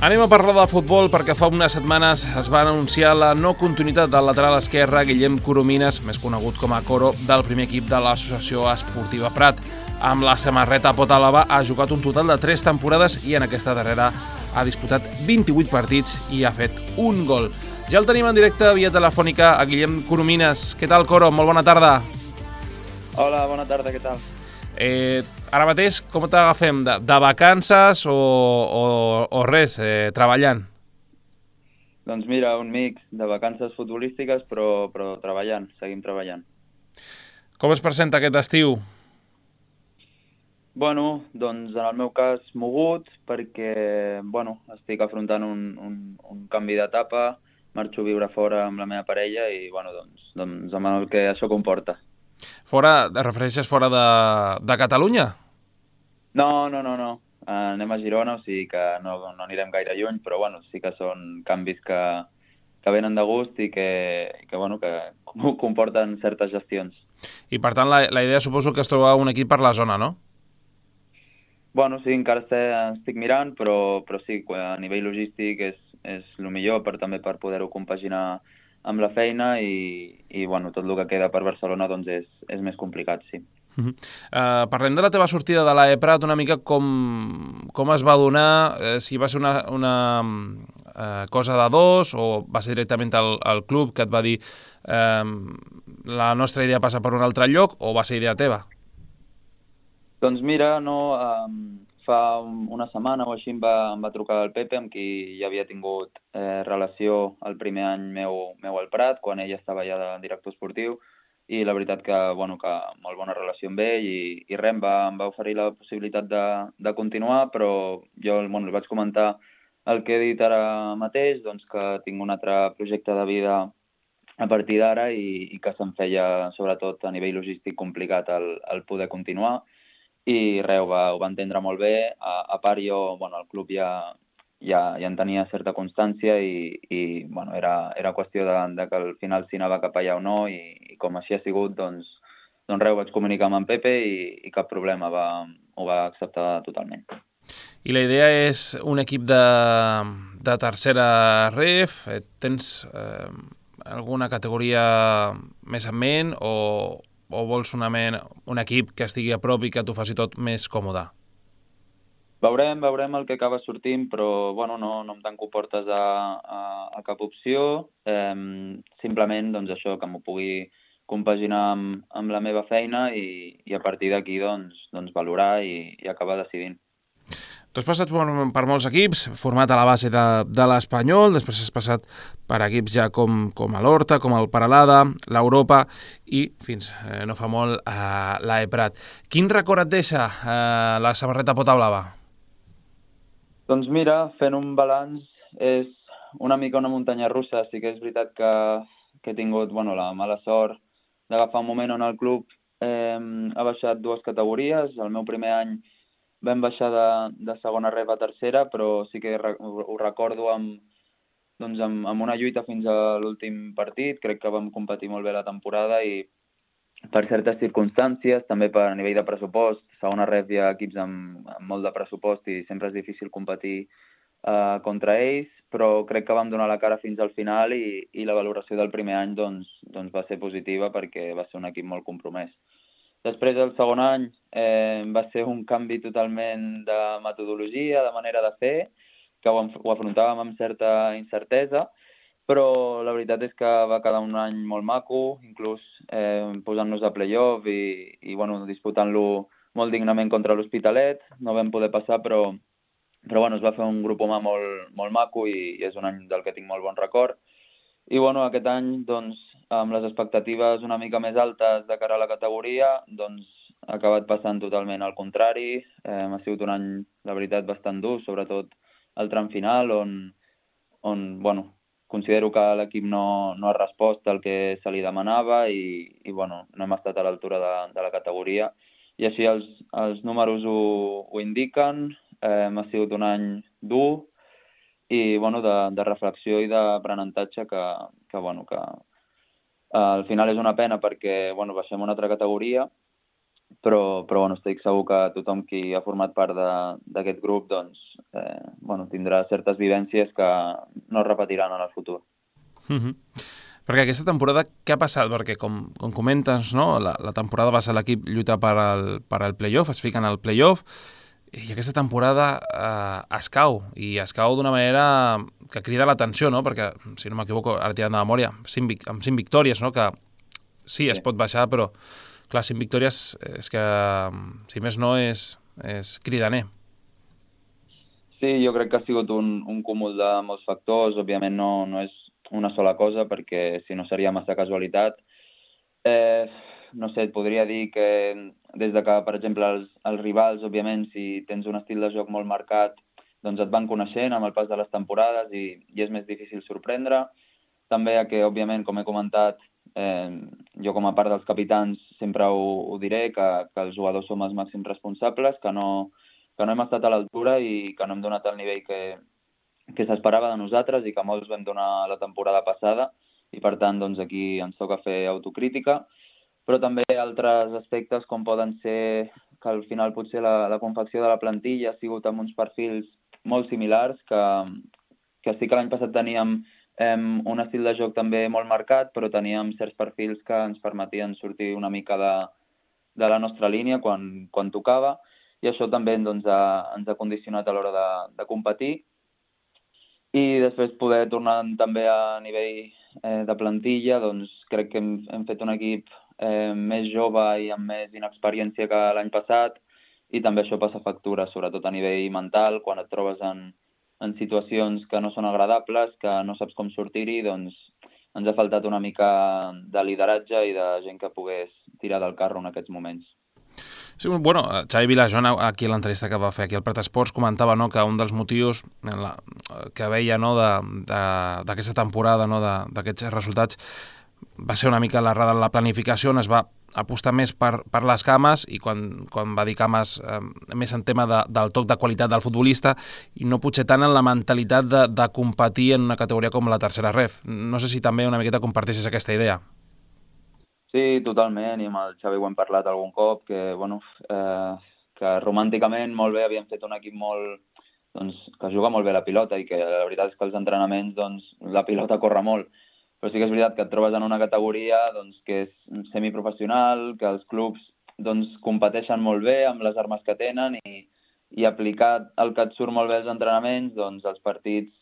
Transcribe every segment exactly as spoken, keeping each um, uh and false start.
Anem a parlar de futbol perquè fa unes setmanes es va anunciar la no continuïtat del lateral esquerre Guillem Coromines, més conegut com a Coro, del primer equip de l'Associació Esportiva Prat. Amb la samarreta Potàlava ha jugat un total de tres temporades i en aquesta darrera ha disputat vint-i-vuit partits i ha fet un gol. Ja el tenim en directe via telefònica a Guillem Coromines. Què tal, Coro? Molt bona tarda. Hola, bona tarda, què tal? Eh, ara mateix, com t'agafem? De, de vacances o, o, o res, eh, treballant? Doncs mira, un mix de vacances futbolístiques, però, però treballant, seguim treballant. Com es presenta aquest estiu? Bueno, doncs en el meu cas mogut, perquè bueno, estic afrontant un, un, un canvi d'etapa, marxo a viure fora amb la meva parella i bueno, doncs, doncs amb el que això comporta. Fora, et refereixes fora de, de Catalunya? No, no, no, no. Anem a Girona, o sigui que no, no anirem gaire lluny, però bueno, sí que són canvis que, que venen de gust i que, i que, bueno, que comporten certes gestions. I per tant la, la idea suposo que es troba un equip per la zona, no? Bueno, sí, encara estic, estic mirant, però, però sí, a nivell logístic és, és el millor per, també per poder-ho compaginar amb la feina i, i bueno, tot el que queda per Barcelona doncs és, és més complicat, sí. Uh -huh. uh, parlem de la teva sortida de l'A E Prat, una mica com, com es va donar, eh, si va ser una, una uh, cosa de dos o va ser directament el, el club que et va dir eh, la nostra idea passa per un altre lloc, o va ser idea teva? Doncs mira, no, um, fa una setmana o així em va, em va trucar el Pepe, amb qui ja havia tingut eh, relació el primer any meu, meu al Prat, quan ell estava ja de director esportiu, i la veritat que, bueno, que molt bona relació amb ell i, i res, em va, em va oferir la possibilitat de, de continuar, però jo bueno, li vaig comentar el que he dit ara mateix, doncs que tinc un altre projecte de vida a partir d'ara i, i que se'm feia, sobretot a nivell logístic, complicat el, el poder continuar. I res, ho va, ho va entendre molt bé. A, a part jo, bueno, el club ja, ja, ja en tenia certa constància i, i bueno, era, era qüestió de, de que al final si anava cap allà o no i, i com així ha sigut, doncs, doncs res, ho vaig comunicar amb en Pepe i, i cap problema, va, ho va acceptar totalment. I la idea és un equip de, de tercera ref? Tens eh, alguna categoria més en ment o, o vols una ment, un equip que estigui a prop i que t'ho faci tot més còmode? Veurem, veurem el que acaba sortint, però bueno, no, no em tanco portes a, a, a cap opció. Eh, simplement doncs, això, que m'ho pugui compaginar amb, amb la meva feina i, i a partir d'aquí doncs, doncs valorar i, i acabar decidint. Tu has passat per, per molts equips, format a la base de, de l'Espanyol, després has passat per equips ja com, com a l'Horta, com el Peralada, l'Europa i fins eh, no fa molt a l'A E Prat. Quin record et deixa eh, la samarreta Potàlava? Doncs mira, fent un balanç és una mica una muntanya russa. Sí que és veritat que, que he tingut bueno, la mala sort d'agafar un moment on el club eh, ha baixat dues categories. El meu primer any vam baixar de, de segona ref a tercera, però sí que ho recordo amb, doncs amb, amb una lluita fins a l'últim partit. Crec que vam competir molt bé la temporada i per certes circumstàncies, també per a nivell de pressupost, segona ref hi ha equips amb, amb molt de pressupost i sempre és difícil competir uh, contra ells, però crec que vam donar la cara fins al final i, i la valoració del primer any doncs, doncs va ser positiva perquè va ser un equip molt compromès. Després, el segon any, eh, va ser un canvi totalment de metodologia, de manera de fer, que ho, ho afrontàvem amb certa incertesa, però la veritat és que va quedar un any molt maco, inclús eh, posant-nos a play-off i, i bueno, disputant-lo molt dignament contra l'Hospitalet. No vam poder passar, però, però bueno, es va fer un grup humà molt, molt maco i, i és un any del que tinc molt bon record. I bueno, aquest any, doncs, amb les expectatives una mica més altes de cara a la categoria, doncs ha acabat passant totalment al contrari. Eh, ha sigut un any, la veritat, bastant dur, sobretot el tram final, on, on bueno, considero que l'equip no, no ha respost al que se li demanava i, i bueno, no hem estat a l'altura de, de la categoria. I així els, els números ho, ho indiquen. Eh, ha sigut un any dur, i bueno, de, de reflexió i d'aprenentatge que, que, bueno, que uh, al final és una pena perquè bueno, baixem una altra categoria però, però bueno, estic segur que tothom qui ha format part d'aquest grup doncs, eh, bueno, tindrà certes vivències que no es repetiran en el futur. Uh-huh. Perquè aquesta temporada, què ha passat? Perquè, com, com comentes, no? la, la temporada va ser l'equip lluitar per al, per al play-off, es fiquen al play-off, i aquesta temporada eh, es cau, i es cau d'una manera que crida l'atenció, no? Perquè, si no m'equivoco, ara tirant de memòria, cinc, amb cinc victòries, no? Que sí, es Sí. pot baixar, però, clar, cinc victòries és que, si més no, és, és cridaner. Sí, jo crec que ha sigut un, un cúmul de molts factors. Òbviament no, no és una sola cosa, perquè si no seria massa casualitat. Eh, no sé, et podria dir que des de que, per exemple, els, els rivals, òbviament, si tens un estil de joc molt marcat, doncs et van coneixent amb el pas de les temporades i, i és més difícil sorprendre. També a que, òbviament, com he comentat, eh, jo com a part dels capitans sempre ho, ho diré, que, que els jugadors som els màxims responsables, que no, que no hem estat a l'altura i que no hem donat el nivell que, que s'esperava de nosaltres i que molts vam donar la temporada passada, i per tant doncs, aquí ens toca fer autocrítica, però també altres aspectes com poden ser que al final potser la, la confecció de la plantilla ha sigut amb uns perfils molt similars, que, que sí que l'any passat teníem eh, un estil de joc també molt marcat, però teníem certs perfils que ens permetien sortir una mica de, de la nostra línia quan, quan tocava, i això també doncs, ha, ens ha condicionat a l'hora de, de competir. I després poder tornar també a nivell eh, de plantilla, doncs crec que hem, hem fet un equip eh, més jove i amb més inexperiència que l'any passat, i també això passa factura, sobretot a nivell mental, quan et trobes en, en situacions que no són agradables, que no saps com sortir-hi, doncs ens ha faltat una mica de lideratge i de gent que pogués tirar del carro en aquests moments. Sí, bueno, Xavi Vilajoan, aquí a l'entrevista que va fer aquí al Prat Esports, comentava, no, que un dels motius la, que veia, no, d'aquesta temporada, no, d'aquests resultats, va ser una mica l'errada en la planificació, on es va apostar més per, per les cames, i quan, quan va dir cames eh, més en tema de, del toc de qualitat del futbolista, i no potser tant en la mentalitat de, de competir en una categoria com la tercera ref. No sé si també una miqueta comparteixes aquesta idea. Sí, totalment, i amb el Xavi ho hem parlat algun cop, que, bueno, eh, que romànticament molt bé havíem fet un equip molt, doncs, que juga molt bé la pilota, i que la veritat és que els entrenaments doncs, la pilota corre molt, però sí que és veritat que et trobes en una categoria doncs, que és semiprofessional, que els clubs doncs, competeixen molt bé amb les armes que tenen, i, i aplicar el que et surt molt bé als entrenaments, doncs els partits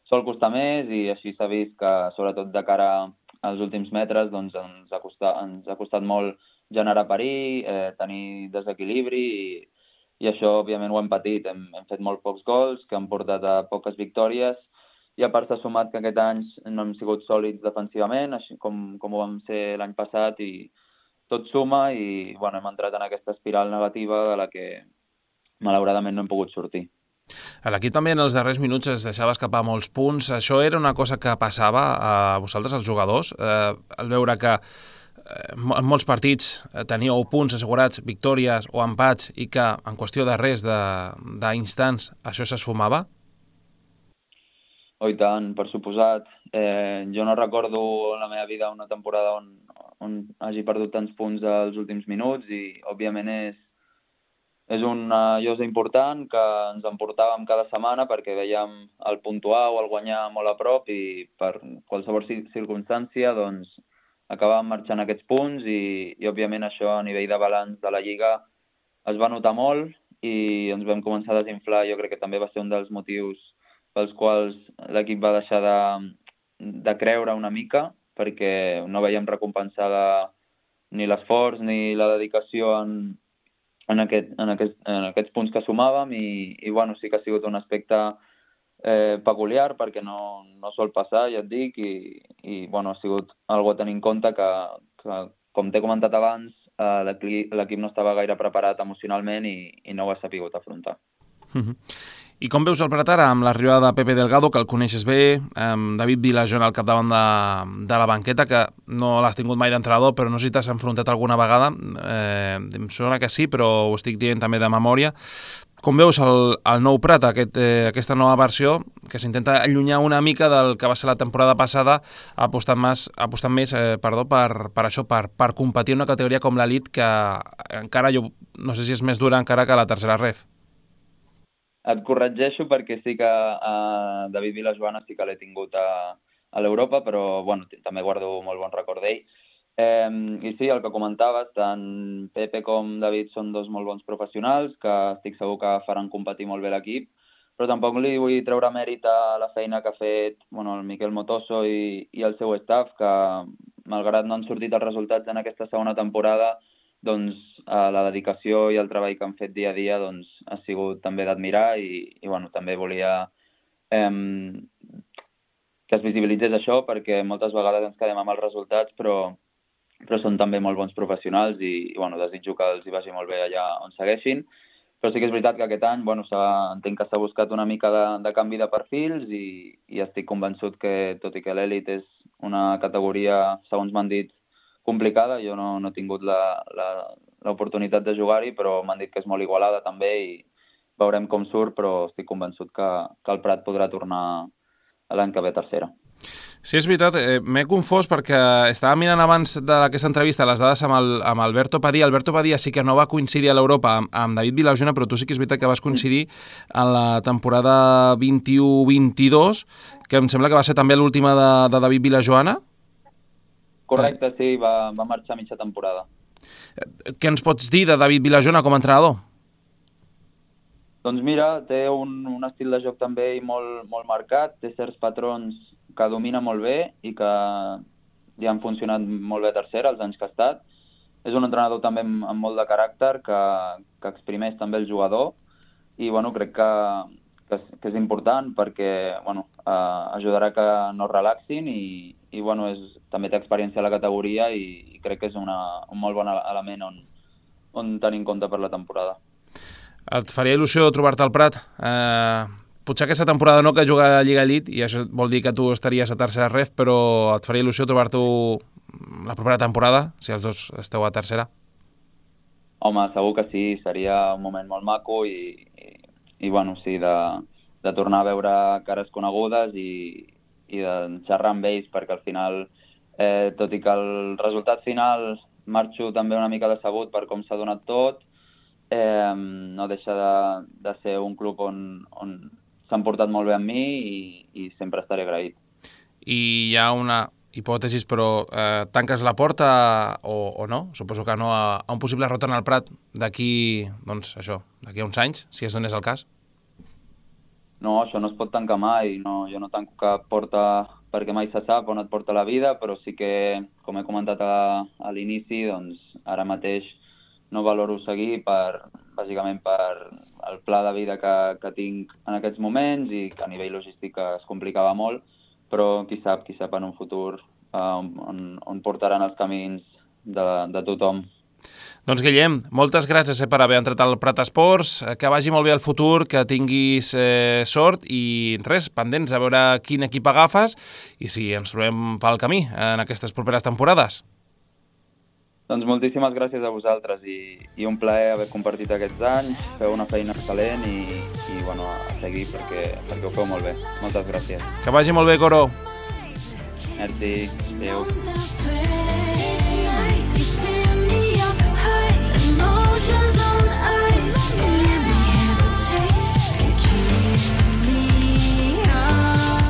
sol costar més, i així s'ha vist que, sobretot de cara a als últims metres, doncs ens ha costat, ens ha costat molt generar perill, eh, tenir desequilibri, i, i això òbviament ho hem patit. Hem, hem fet molt pocs gols, que han portat a poques victòries, i a part s'ha sumat que aquest any no hem sigut sòlids defensivament, així com, com ho vam ser l'any passat, i tot suma, i bueno, hem entrat en aquesta espiral negativa de la que malauradament no hem pogut sortir. L'equip també en els darrers minuts es deixava escapar molts punts. Això era una cosa que passava a vosaltres, els jugadors, eh, al veure que eh, en molts partits teníeu punts assegurats, victòries o empats, i que en qüestió de res, d'instants, això s'esfumava? Oh, i tant, per suposat. Eh, jo no recordo en la meva vida una temporada on, on hagi perdut tants punts als últims minuts, i òbviament és És una llosa important que ens emportàvem cada setmana perquè veiem el puntuar o el guanyar molt a prop, i per qualsevol circumstància doncs, acabàvem marxant aquests punts, i, i òbviament això a nivell de balanç de la Lliga es va notar molt, i ens vam començar a desinflar. Jo crec que també va ser un dels motius pels quals l'equip va deixar de, de creure una mica, perquè no veiem recompensada ni l'esforç ni la dedicació en En, aquest, en, aquest, en aquests punts que sumàvem, i, i bueno, sí que ha sigut un aspecte eh, peculiar, perquè no, no sol passar, ja et dic, i, i bueno, ha sigut algo a tenir en compte que, que com t'he comentat abans, eh, l'equip no estava gaire preparat emocionalment, i, i no ho ha sapigut afrontar. Uh-huh. I com veus el Prat ara, amb l'arribada de Pepe Delgado, que el coneixes bé, amb David Vilajoan al capdavant de, de la banqueta, que no l'has tingut mai d'entrenador, però no sé si t'has enfrontat alguna vegada, eh, em sembla que sí, però ho estic dient també de memòria. com veus el, el nou Prat, aquest, eh, aquesta nova versió, que s'intenta allunyar una mica del que va ser la temporada passada, apostant més, apostant més eh, perdó, per, per això, per, per competir en una categoria com l'elit, que encara, jo no sé si és més dura encara que la tercera ref. Et corregeixo perquè sí que uh, David Vilajoana sí que l'he tingut a, a l'Europa, però bueno, també guardo molt bon record d'ell. Eh, I sí, el que comentaves, tant Pepe com David són dos molt bons professionals que estic segur que faran competir molt bé l'equip, però tampoc li vull treure mèrit a la feina que ha fet bueno, el Miquel Motoso i, i el seu staff, que malgrat no han sortit els resultats en aquesta segona temporada, doncs eh, la dedicació i el treball que han fet dia a dia doncs, ha sigut també d'admirar i, i bueno, també volia eh, que es visibilitzés això, perquè moltes vegades ens quedem amb els resultats, però però són també molt bons professionals i, i bueno, desitjo que els hi vagi molt bé allà on segueixin. Però sí que és veritat que aquest any bueno, entenc que s'ha buscat una mica de, de canvi de perfils i, i estic convençut que, tot i que l'elit és una categoria, segons m'han dit, complicada, jo no, no he tingut l'oportunitat de jugar-hi, però m'han dit que és molt igualada també i veurem com surt, però estic convençut que, que el Prat podrà tornar l'any que ve a tercera. Sí, és veritat, eh, m'he confós perquè estava mirant abans d'aquesta entrevista les dades amb, el, amb Alberto Padilla. Alberto Padilla sí que no va coincidir a l'Europa amb, amb David Vilajoana, però tu sí que és veritat que vas coincidir en la temporada vint-i-u vint-i-dos, que em sembla que va ser també l'última de, de David Vilajoana. Correcte, sí, va, va marxar mitja temporada. Què ens pots dir de David Vilajoana com a entrenador? Doncs mira, té un, un estil de joc també molt, molt marcat, té certs patrons que domina molt bé i que li han funcionat molt bé a tercera els anys que ha estat. És un entrenador també amb, amb molt de caràcter, que, que exprimeix també el jugador i bueno, crec que, que, que és important perquè bueno, eh, ajudarà que no es relaxin i, i bueno, és, també té experiència a la categoria i, i crec que és una, un molt bon element on, on tenir en compte per la temporada. Et faria il·lusió trobar-te al Prat? Eh... Potser aquesta temporada no, que juga a Lliga Elite, i això vol dir que tu estaries a tercera ref, però et faria il·lusió trobar-t'ho la propera temporada, si els dos esteu a tercera? Home, segur que sí, seria un moment molt maco i, i, i bueno, sí, de, de tornar a veure cares conegudes i, i de xerrar amb ells, perquè al final, eh, tot i que el resultat final marxo també una mica decebut per com s'ha donat tot, eh, no deixa de, de ser un club on, on s'han portat molt bé amb mi i, i sempre estaré agraït. I hi ha una hipòtesi, però eh, tanques la porta o, o no? Suposo que no, a, a un possible retorn al Prat d'aquí, doncs això, d'aquí a uns anys, si es donés el cas? No, això no es pot tancar mai. No, jo no tanco cap porta perquè mai se sap on et porta la vida, però sí que, com he comentat a, a l'inici, doncs ara mateix no valoro seguir per, bàsicament per el pla de vida que, que tinc en aquests moments i que a nivell logístic es complicava molt, però qui sap, qui sap en un futur eh, on, on portaran els camins de, de tothom. Doncs Guillem, moltes gràcies eh, per haver entrat al Prat Esports, que vagi molt bé el futur, que tinguis eh, sort i res, pendents a veure quin equip agafes i si ens trobem pel camí en aquestes properes temporades. Doncs moltíssimes gràcies a vosaltres i, i un plaer haver compartit aquests anys, feu una feina excel·lent i, i bueno, a seguir perquè, perquè ho feu molt bé. Moltes gràcies. Que vagi molt bé, Coro. Merci, adéu.